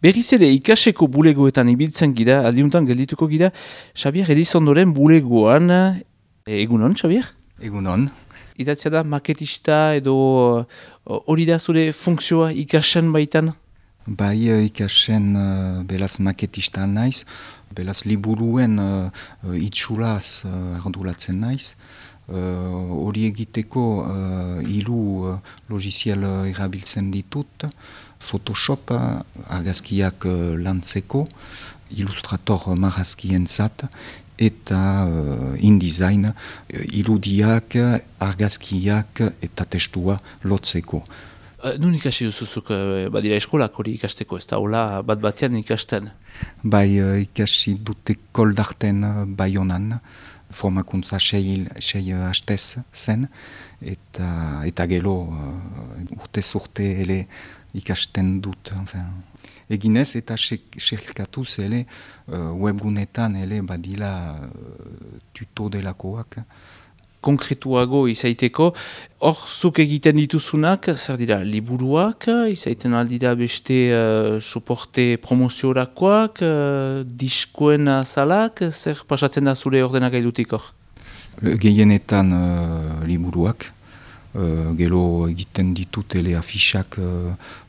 Berriz ere ikaseko bulegoetan ibiltzen gira, aldiuntan geldituko gira, Xabier Edizondoren bulegoan, egunon, Xabier? Egunon. Idatzia da maketista edo hori da zure funtzioa ikasen baitan? Bai ikasen belaz maketista naiz, belaz liburuen itxuraz arduratzen naiz. Hori egiteko hiru logiziel erabiltzen ditut, Photoshop argazkiak lantzeko, Illustrator marrazkientzat, eta InDesign irudiak, argazkiak eta testua lotzeko. Nun ikasi duzuzuk badira eskolak hori ikasteko, ez da hola bat batean ikasten? Bai ikasi dute koldarten Baionan, formakuntza sei hastez zen, eta gero urtez urte ele ikasten dut. Eginez eta xerkatuz ele webgunetan ele badila tuto delakoak. Konkretuago izaiteko, hor zuk egiten dituzunak, zer dira, liburuak, izaiten aldira beste soporte promoziorakoak, diskoen azalak, zer pasatzen da zure ordenagailutik hor? Gehienetan liburuak, gero egiten ditut ele afixak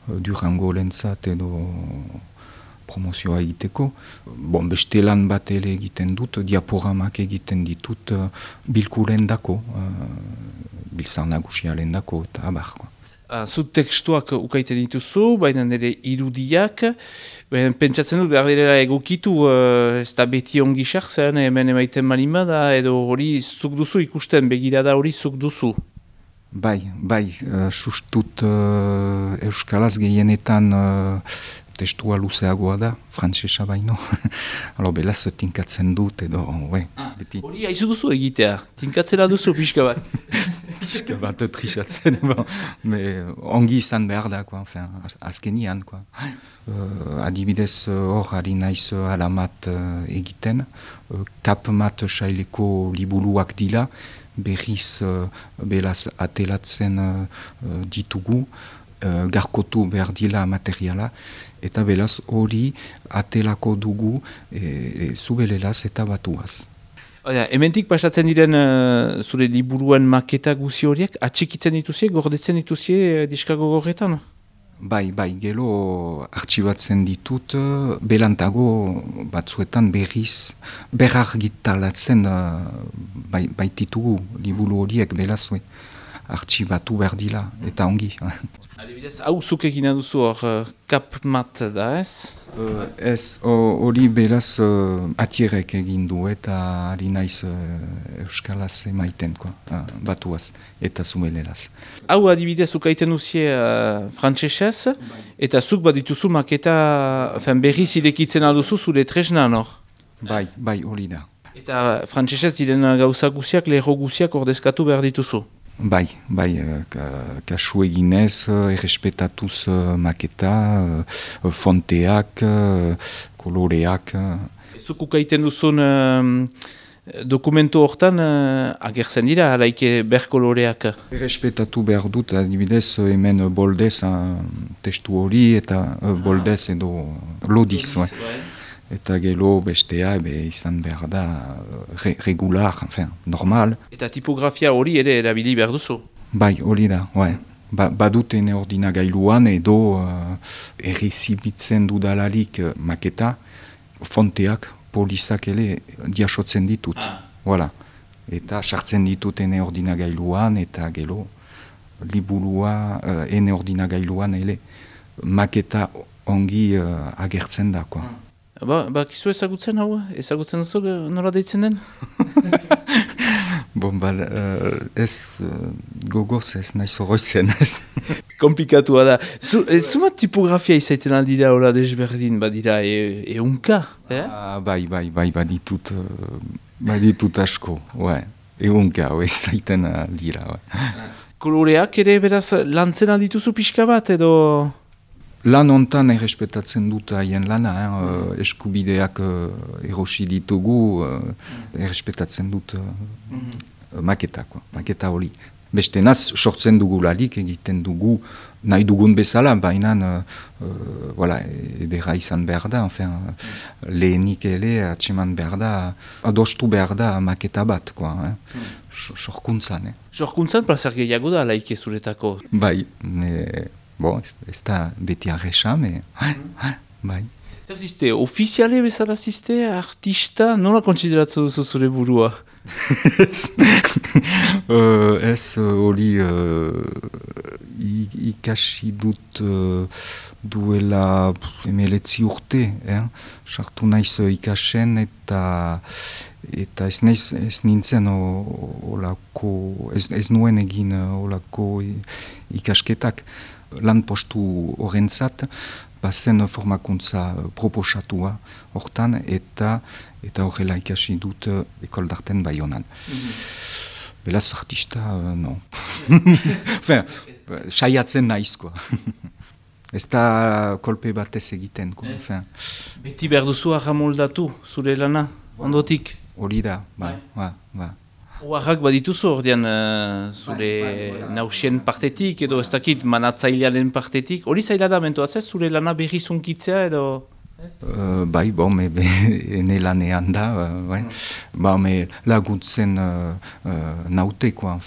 Durango lentzat edo promozioa egiteko. Beste lan bat ele egiten dut, diaporamak egiten ditut bilkuren dako, biltzar nagusialen dako, eta abar. Zu tekstuak ukaiten dituzu, baina nire irudiak, pentsatzen dut behar direla egokitu, ez da beti ongi sartzen, hemen emaiten malima da, edo hori zuk duzu ikusten, begirada hori zuk duzu. Bai, sustut euskalaz gehienetan testua luzeagoa da, frantsesa baino. Belaz tinkatzen dut edo, beti. Hori haizu duzu egitea, tinkatzera duzu pixka bat. Pixka bat trisatzen, ongi izan behar da, azkenian. Adibidez hor ari naiz alamat egiten, kapmat saileko liburuak dila, berriz belaz atelatzen ditugu, garkotu behar dila materiala, eta belaz hori atelako dugu zubelelaz eta batuaz. Hementik pasatzen diren zure liburuen maketa guzi horiek, atxikitzen dituzie, gordetzen dituzie diskago gorretan? Bai, gero artxibatzen ditut, belantago batzuetan berriz, berargitalatzen baititugu liburu horiek belazue. Artxibatu behar dila, eta ongi. Adibidez, hau zuk egina duzu hor kapmat da, ez? Ez, hori belaz atierek egin du eta ari naiz euskalaz emaiten, batuaz eta zumelelaz. Hau adibidez ukaiten duzie frantsesez, eta zuk bat dituzu maketa berriz idekitzen alduzu zure tresnan hor? Bai, hori da. Eta frantsesez diren gauza guziak, lerro guziak ordezkatu behar dituzu? Bai, kasu eginez, errespetatuz maketa, fonteak, koloreak. Zuk ukaiten duzun dokumentu hortan agertzen dira, alaike berkoloreak? Errespetatu behar dut, adibidez, hemen boldez testu hori eta boldez edo lodiz. Eta gero bestea izan behar da regular, normal. Eta tipografia hori ere erabili behar duzu? Bai, hori da, baduten ordinagailuan edo errezibitzen dudalarik maketa, fonteak, polizak ere diasotzen ditut. Eta sartzen ditut ene ordinagailuan eta gero liburua ene ordinagailuan ere maketa ongi agertzen da. Kizu ezagutzen hau? Ezagutzen duzu nola deitzen den? Ez gogoz ez nahi zoroitzen ez. Komplikatua da. Zumat tipografia izaiten aldi da hola desberdin, badira eunka? Baditut asko, eunka izaiten aldira. Koloreak ere beraz lantzen aldituzu pixka bat edo... Lan hontan errespetatzen dut haien lana, eskubideak erosi ditugu, errespetatzen dut maketa hori. Beste naz, sortzen dugularik egiten dugu nahi dugun bezala, baina edera izan behar da, lehenik ere atseman behar da, adostu behar da maketa bat, sorkuntzan. Sorkuntzan plazer gehiago da, laike zuretako? Bai, ez da beti arresa, bai. Zer ziste, ofiziale bezala ziste, artista, nola kontsideratzen duzu zure burua? Ez hori ikasi dut duela 19 urte, sartu naiz ikasen eta ez nintzen ez nuen egin olako ikasketak lan postu horrentzat, bazen formakuntza proposatua hortan eta horrela ikasi dut ekol d'arten Baionan. Belaz artista, no. Saiatzen naizkoa. Ez da kolpe batez egiten. Beti behar duzu arramoldatu, zure lana, ondotik? Hori da, bai. Oarrak badituzu ordean zure nausien partetik edo ez dakit manatzailearen partetik. Hori zaila da mentuaz ez, zure lana berri zunkitzea edo? Bai, ene lanean da, laguntzen nauteko,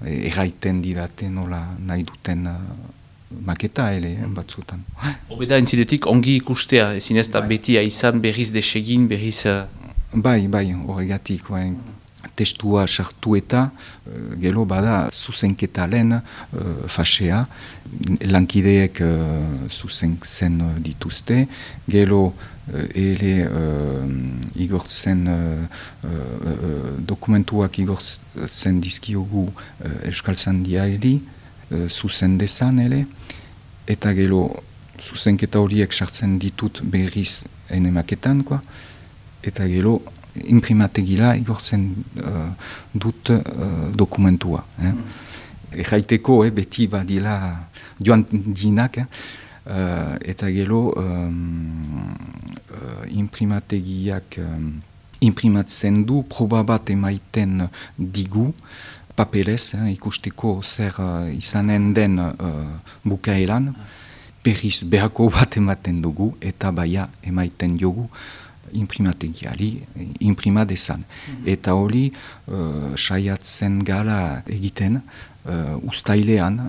erraiten didate nola nahi duten maketa ere batzutan. Obeda entzidetik ongi ikustea, ezin ez da beti izan berriz desegin, berriz... Bai, horregatik, testua sartu eta gero bada zuzenketa lehen fasea, lankideek zuzentzen dituzte, gero ere igortzen dokumentuak igortzen dizkiogu Euskal Zandiari zuzen dezan ere, eta gero zuzenketa horiek sartzen ditut berriz enemaketan, eta gero imprimategila igortzen dut dokumentua. Erraiteko beti badila joan dinak, eta gero imprimategiak imprimatzen du, proba bat emaiten digu, papelez, ikusteko zer izanen den bukaeran, berriz behako bat ematen dugu, eta baia emaiten jogu, imprimategiari, imprima dezan. Eta hori saiatzen gala egiten ustailean,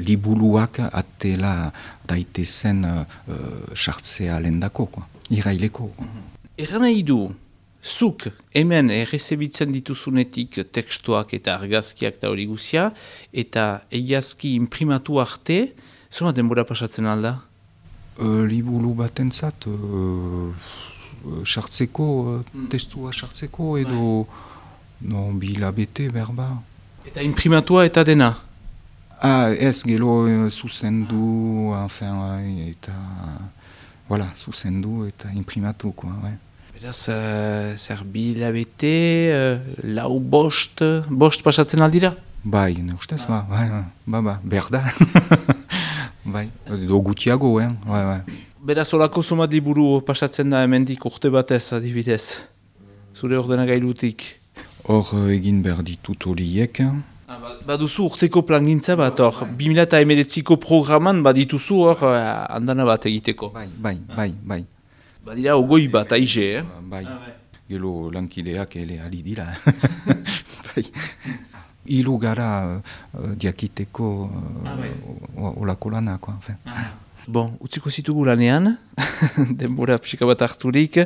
liburuak atela daitezen sartzea lendako, iraileko. Erran nahi du, zuk hemen errezebitzen dituzunetik tekstuak eta argazkiak da hori guzia, eta egiazki imprimatu arte, zona denbora pasatzen alda? Liburu batentzat, sartzeko, testua sartzeko edo bilabete berba. Eta imprimatua eta dena? Ez, gero zuzendu, eta zuzendu eta imprimatu. Beraz, zer bilabete, lau bost pasatzen aldira? Bai, ne ustez, berda. Bai, edo gutiago, bai. Beraz, olako somat liburu pasatzen da hemendik urte batez, adibidez, zure ordenagailutik. Hor egin behar ditut horiek. Baduzu urteko plangintza bat, hor, 2019ko programan badituzu hor andana bat egiteko. Bai. Badira, ogoi bat, aize, Bai, gero lankideak ele ari dira. Bai. Ilu gara diakiteko olako lanak. Bon, utziko zitugu lanean, denbora pixka bat harturik.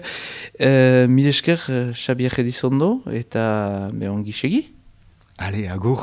Mil esker, Xabier Edizondo, eta ongi segi? Ale, agur.